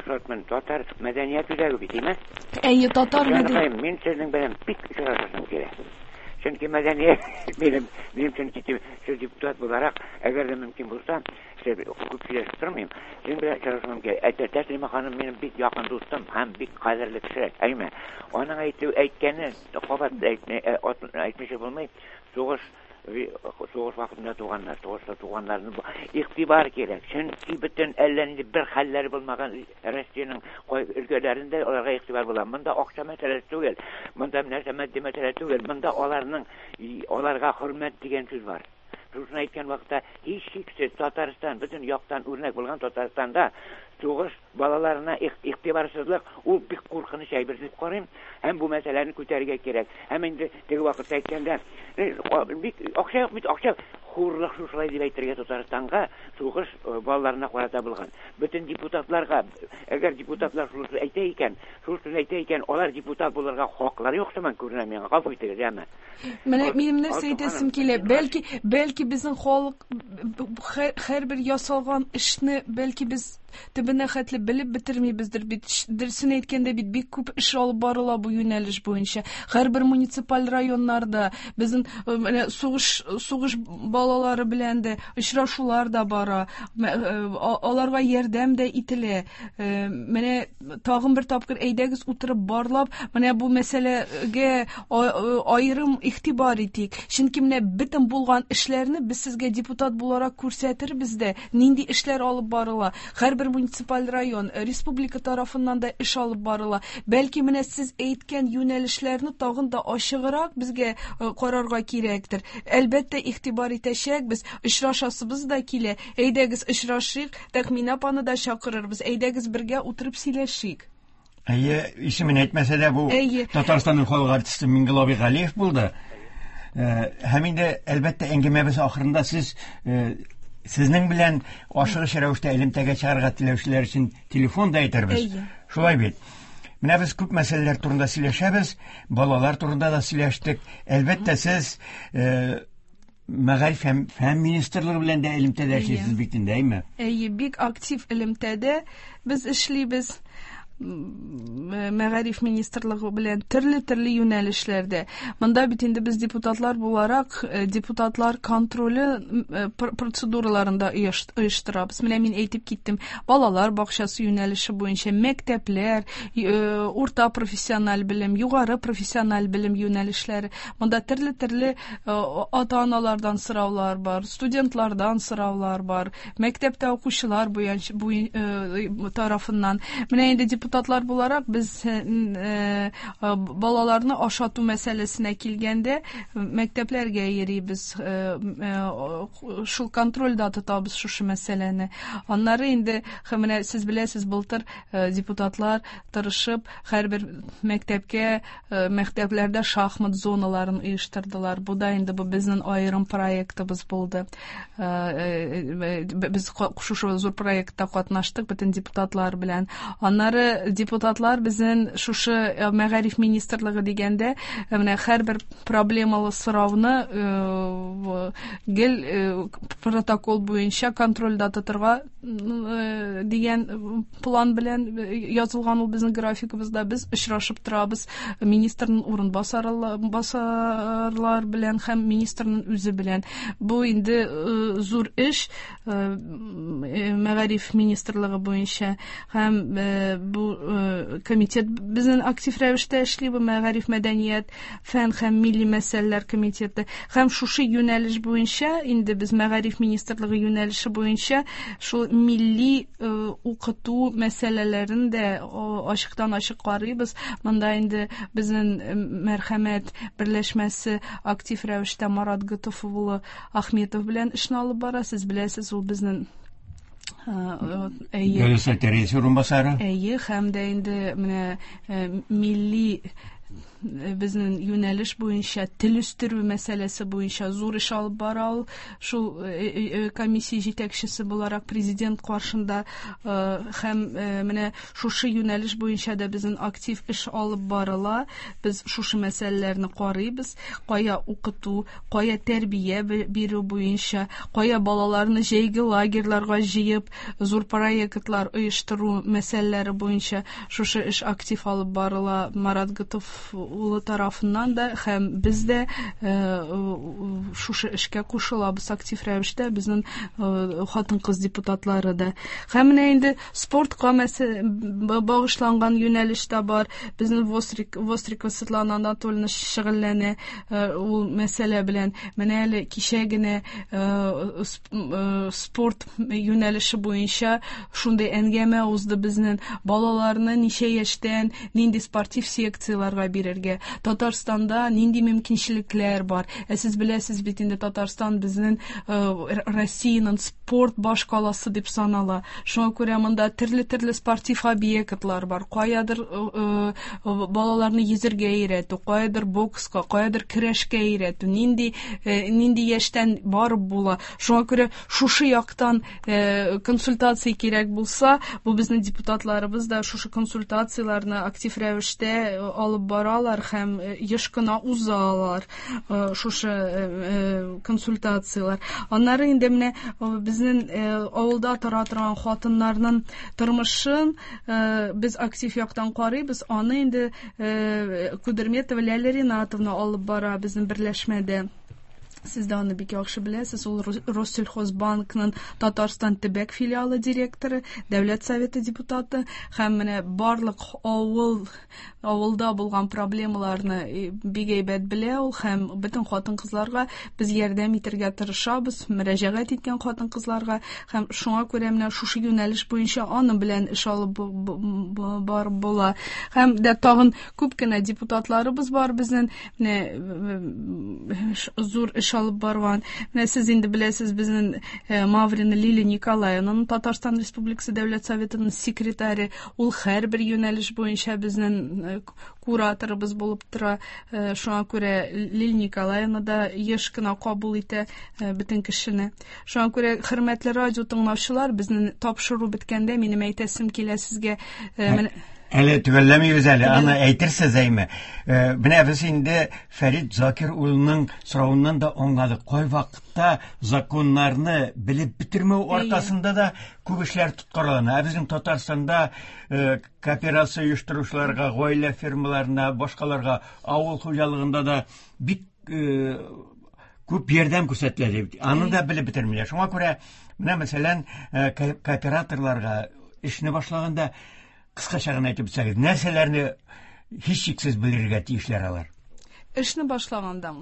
шатмын, татар мәдәният үзәге бит, димме? Әйе, татар мәдәният. Мин сезнең белән бик очрашасым килә. Чөнки мәдәният минем, минем чөнки сез депутат буларак, әгәр дә мөмкин булса, күп сөйләшеп тормыйм, синең белән очрашуым килә. Әйтә, Тәслимә ханым минем бик якын дустым һәм бик кадерле кеше. Әйме, аның әйтү әйткәне кабат әйтмичә булмый. Сугыш сугыш вакытында туганнар, сугышта туганнарны игътибар кирәк. Чөнки бөтен әллә нинди бер хәлләре булмаган Россиянең өлкәләрендә аларга игътибар була. Монда акча мәсьәләсе түгел, монда нәрсә матди мәсьәлә түгел, монда аларның аларга хөрмәт дигән сүз бар. Шуны әйткән вакытта һичшиксез Татарстан, бөтен яктан үрнәк булган Татарстанда сугыш балаларына игътибарсызлык ул бик куркыныч әйбер дип карыйм. Һәм бу мәсьәләне күтәрергә кирәк. Һәм инде теге вакытта әйткәндә, бик акча юк бит, акча хурлык шушылай дип әйтергә Татарстанга сугыш балаларына карата булган. Бөтен депутатларга, әгәр депутатлар шуны әйтә икән, шуны әйтә икән, алар депутат булырга хаклары юк сыман күренә миңа. Гафу итегез, яме. Менә минем нәрсә әйтәсем килә, бәлки, бәлки безнең халык һәрбер ясалган эшне бәлки без төбенә хәтле белеп бетермибездер бит. Дөресен әйткәндә бит бик күп эш алып барыла бу юнәлеш буенча. Һәрбер муниципаль районнарда безнең менә сугыш сугыш балалары белән дә очрашулар да бара, аларга ярдәм дә ителә. Менә тагын бер тапкыр әйдәгез утырып барлап, менә бу мәсьәләгә аерым игътибар итик. Чөнки менә бөтен булган эшләрне без сезгә депутат буларак күрсәтербез дә, нинди эшләр алып барыла. Һәрбер муниципаль район, республика тарафыннан да эш алып барыла. Бәлки менә сез әйткән юнәлешләрне тагын да ачыграк безгә карарга кирәктер. Әлбәттә, игътибар итәчәкбез, очрашасыбыз да килә. Әйдәгез очрашыйк, Тәхминә апаны да чакырырбыз. Әйдәгез бергә утырып сөйләшик. Әйе, исемен әйтмәсә дә бу Татарстанның халык артисты Миңгол абый Галиев булды. Һәм инде әлбәттә әңгәмәбез ахырында сез сезнең белән ашыгыч рәвештә элемтәгә чыгарга теләүчеләр өчен телефон да әйтербез. Шулай бит. Менә без күп мәсьәләләр турында сөйләшәбез, балалар турында да сөйләштек. Әлбәттә, сез Мәгариф һәм фән министрлыгы белән дә элемтәдә эшлисез бит инде, әйме? Әйе, бик актив элемтәдә без эшлибез. Мәгариф министрлыгы белән төрле-төрле юнәлешләрдә. Монда бит инде без депутатлар буларак депутатлар контроле процедураларында оештырабыз. Менә мин әйтеп киттем, балалар бакчасы юнәлеше буенча мәктәпләр, урта профессиональ белем, югары профессиональ белем юнәлешләре. Монда төрле-төрле ата-аналардан сораулар бар, студентлардан сораулар бар, мәктәптә укучылар буенча тарафыннан. Менә инде депутатлар буларак без балаларны ашату мәсьәләсенә килгәндә мәктәпләргә йөрибез, шул контрольдә тотабыз шушы мәсьәләне. Аннары инде менә сез беләсез, былтыр депутатлар тырышып һәрбер мәктәпкә, мәктәпләрдә шахмат зоналарын оештырдылар. Бу да инде бу безнең аерым проектыбыз булды. Без шушы зур проектта катнаштык бөтен депутатлар белән. Аннары инде депутатлар безнең шушы мәгариф министрлыгы дигәндә менә һәрбер проблемалы сорауны гел протокол буенча контрольдә тотырга дигән план белән язылган ул безнең графикыбызда. Без очрашып торабыз министрның урынбасарлар белән һәм министрның үзе белән. Бу инде зур эш мәгариф министрлыгы буенча һәм бу комитет безнең актив рәвештә эшли, бу мәгариф, мәдәният, фән һәм милли мәсьәләләр комитеты. Һәм шушы юнәлеш буенча инде без мәгариф министрлыгы юнәлеше буенча шул милли укыту мәсьәләләрен дә ачыктан ачык карыйбыз. Монда инде безнең Мәрхәмәт берләшмәсе актив рәвештә Марат Готов улы Ахметов белән эшне алып бара. Сез беләсез, ул безнең Дәүләт Советы рәисе урынбасары. Әйе, һәм дә инде менә милли безнең юнәлеш буенча тел үстерү мәсьәләсе буенча зур эш алып бара ул. Шул комиссия җитәкчесе буларак президент каршында һәм менә шушы юнәлеш буенча да безнең актив эш алып барыла. Без шушы мәсьәләләрне карыйбыз. Кая укыту, кая тәрбия бирү буенча, кая балаларны җәйге лагерьларга җыеп зур проектлар оештыру мәсьәләләре буенча шушы эш актив алып барыла Марат Готов улы тарафыннан да, һәм без дә шушы эшкә кушылабыз актив рәвештә, безнең хатын-кыз депутатлары да. Һәм менә инде спортка багышланган юнәлеш тә бар. Безнең Вострикова Светлана Анатольевна шөгыльләнә ул мәсьәлә белән. Менә әле кичә генә спорт юнәлеше буенча шундый әңгәмә узды безнең. Балаларны ничә яшьтән нинди спортив секцияләргә бирергә, Татарстанда нинди мөмкинчелекләр бар. Ә сез беләсез бит инде, Татарстан безнең Россиянең спорт башкаласы дип санала. Шуңа күрә монда төрле-төрле спортив объектлар бар. Каядыр балаларны йөзергә өйрәтү, каядыр бокска, каядыр көрәшкә өйрәтү, нинди нинди яшьтән барып була. Шуңа күрә шушы яктан консультация кирәк булса, бу безнең депутатларыбыз да шушы консультацияләрне актив рәвештә алып баралар һәм еш кына узалар шушы консультацияләр. Аннары инде менә безнең авылда тора торган хатыннарның тормышын без актив яктан карыйбыз. Аны инде Кудерметова Ләлә Ринатовна алып бара безнең берләшмәдә. Сез дә аны бик яхшы беләсез. Ул Россельхозбанкның Татарстан төбәк филиалы директоры, Дәүләт Советы депутаты һәм менә барлык авыл авылда булган проблемаларны бик әйбәт белә ул һәм бөтен хатын-кызларга без ярдәм итәргә тырышабыз, мөрәҗәгать иткән хатын-кызларга һәм шуңа күрә менә шушы юнәлеш буенча аның белән эш алып барып була. Һәм дә тагын күп кенә депутатларыбыз бар безнең, менә зур эш алып барган. Менә сез инде беләсез, безнең Маврина Лилия Николаевнаның Татарстан Республикасы Дәүләт Советының секретаре, ул һәрбер юнәлеш буенча безнең кураторыбыз булып тора. Шуңа күрә Лилия Николаевна да еш кына кабул итә бөтен кешене. Шуңа күрә, хөрмәтле радио тыңлаучылар, безнең тапшыру беткәндә минем әйтәсем килә сезгә, менә Әле төгәлләмибез әле, аны әйтерсез әйме. Менә без инде Фәрит Закир улының соравыннан да аңладык. Кай вакытта законнарны белеп бетермәү аркасында да күп эшләр тоткарлана. Ә безнең Татарстанда кооперация оештыручыларга, гаилә фирмаларына, башкаларга авыл хуҗалыгында да бик күп ярдәм күрсәтелә дип. Аны да белеп бетермиләр. Шуңа күрә менә мәсәлән кооператорларга эшне башлаганда кыскача гына әйтеп үтсәгез, нәрсәләрне һичшиксез белергә тиешләр алар? Эшне башлаганда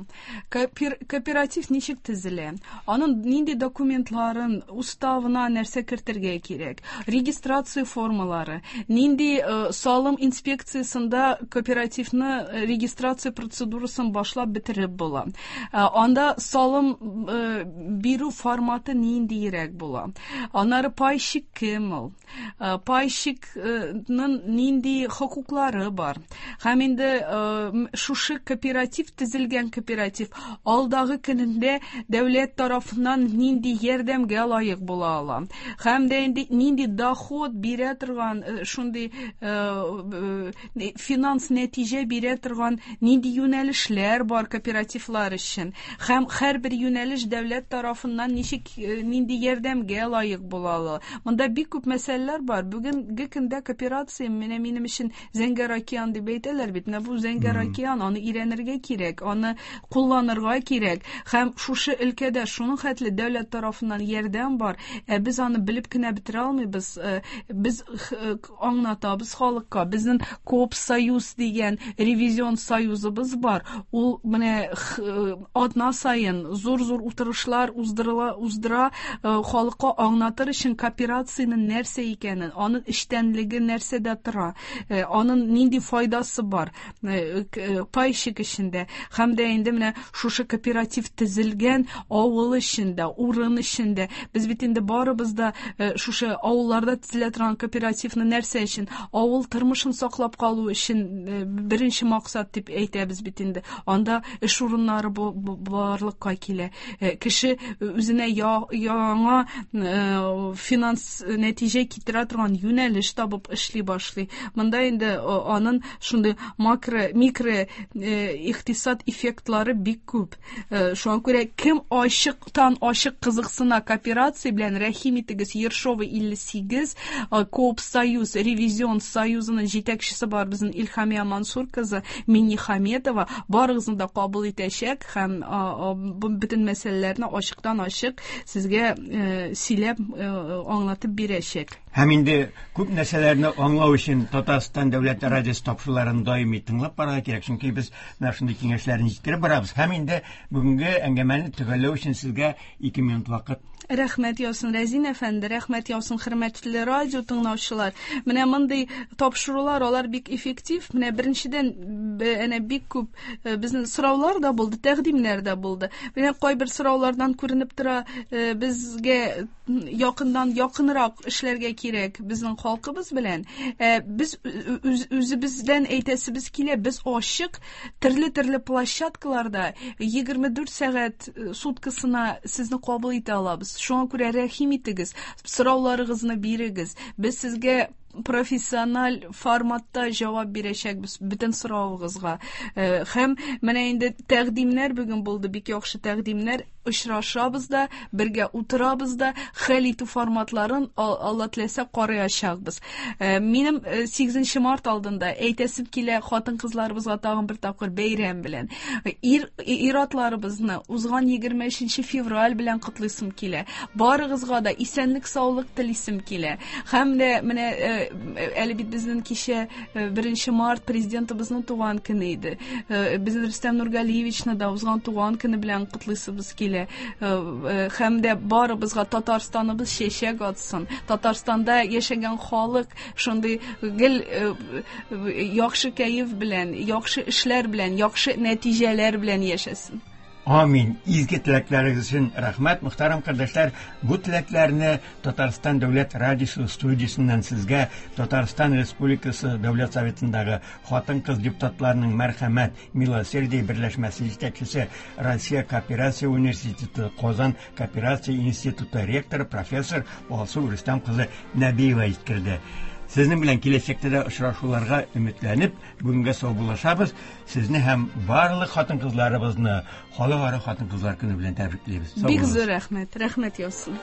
кооператив ничек төзелә, аның нинди документларын, уставына нәрсә кертергә кирәк, регистрация формалары, нинди салым инспекциясендә кооперативны регистрация процедурасын башлап бетереп була, анда салым бирү форматы ниндирәк була, аннары пайщик кем ул, пайщикның нинди хокуклары бар. Һәм инде шушы кооператив кооператив төзелгән кооператив алдагы көнендә дәүләт тарафыннан нинди ярдәмгә лаек була ала. Һәм дә инде нинди доход бирә торган, шундый финанс нәтиҗә бирә торган нинди юнәлешләр бар кооперативлар өчен. Һәм һәрбер юнәлеш дәүләт тарафыннан ничек нинди ярдәмгә лаек була ала. Монда бик күп мәсьәләләр бар. Бүгенге көндә кооперация менә минем өчен зәңгәр океан дип әйтәләр бит. Менә бу зәңгәр океан, аны өйрәнергә кирәк, аны кулланырга кирәк. Һәм шушы өлкәдә шуның хәтле дәүләт тарафыннан ярдәм бар. Ә без аны белеп кенә бетерә алмыйбыз. Без аңлатабыз халыкка. Безнең Коопсоюз дигән ревизион союзыбыз бар. Ул менә атна саен зур-зур утырышлар уздырыла, уздыра халыкка аңлатыр өчен кооперациянең нәрсә икәнен, аның эчтәнлеге нәрсәдә тора, аның нинди файдасы бар пайщик эчендә. Һәм дә инде менә шушы кооператив төзелгән авыл эчендә, урын эчендә. Без бит инде барыбыз да шушы авылларда төзелә торган кооперативны нәрсә өчен? Авыл тормышын саклап калу өчен беренче максат дип әйтәбез бит инде. Анда эш урыннары барлыкка килә. Кеше үзенә яңа финанс нәтиҗә китерә торган юнәлеш табып эшли башлый. Монда инде аның шундый макро, микро икътисад эффектлары бик күп. Шуңа күрә кем ачыктан ачык кызыксына кооперация белән, рәхим итегез, Ершова илле сигез, Коопсоюз, ревизион союзының җитәкчесе бар безнең Илһамия Мансур кызы Миннихаметова, барыгызны да кабул итәчәк һәм бөтен мәсьәләләрне ачыктан ачык сезгә сөйләп аңлатып бирәчәк. Һәм инде күп нәрсәләрне аңлау өчен Татарстан дәүләт радиосы тапшыруларын даими тыңлап барырга кирәк, чөнки без менә шундый киңәшләрне җиткереп барабыз. Һәм инде бүгенге әңгәмәне төгәлләү өчен сезгә ике минут вакыт. Рәхмәт яусын, Рәзин әфәнде, рәхмәт яусын, хөрмәтле радио тыңлаучылар. Менә мондый тапшырулар, алар бик эффектив. Менә беренчедән, әнә бик күп безнең сораулар да булды, тәкъдимнәр дә булды. Менә кайбер сораулардан күренеп тора, безгә якындан якынрак эшләргә кирәк безнең халкыбыз белән. Без үзебездән әйтәсебез килә, без ачык төрле-төрле площадкаларда егерме дүрт сәгать суткасына сезне кабул итә алабыз. Шуңа күрә рәхим итегез, сорауларыгызны бирегез. Без сезгә профессиональ форматта җавап бирәчәкбез бөтен соравыгызга. Һәм менә инде тәкъдимнәр бүген булды, бик яхшы тәкъдимнәр. Очрашабыз да, бергә утырабыз да, хәл итү форматларын Алла теләсә караячакбыз. Минем сигезенче март алдында әйтәсем килә хатын-кызларыбызга тагын бер тапкыр бәйрәм белән. Ир, ир-атларыбызны узган егерме өченче февраль белән котлыйсым килә. Барыгызга да исәнлек, саулык телисем килә. Һәм дә менә әле бит безнең кичә беренче март президентыбызның туган көне иде. Безнең Рөстәм Нургалиевичны да узган туган көне белән котлыйсыбыз килә. Һәм дә барыбызга Татарстаныбыз чәчәк атсын. Татарстанда яшәгән халык шундый гел яхшы кәеф белән, яхшы эшләр белән, яхшы нәтиҗәләр белән яшәсен. Амин. Изге теләкләрегез өчен рәхмәт, мөхтәрәм кардәшләр. Бу теләкләрне Татарстан дәүләт радиосы студиясеннән сезгә Татарстан Республикасы Дәүләт Советындагы хатын-кыз депутатларының Мәрхәмәт Милосердие берләшмәсе җитәкчесе, Россия кооперация университеты Казан кооперация институты ректоры профессор Алсу Рөстәм кызы Нәбиева җиткерде. Сезнең белән киләчәктә дә очрашуларга өметләнеп, бүгенгә саубуллашабыз. Сезне һәм барлык хатын-кызларыбызны Халыкара хатын-кызлар көне белән тәбриклибез. Бик зур рәхмәт, рәхмәт яусын.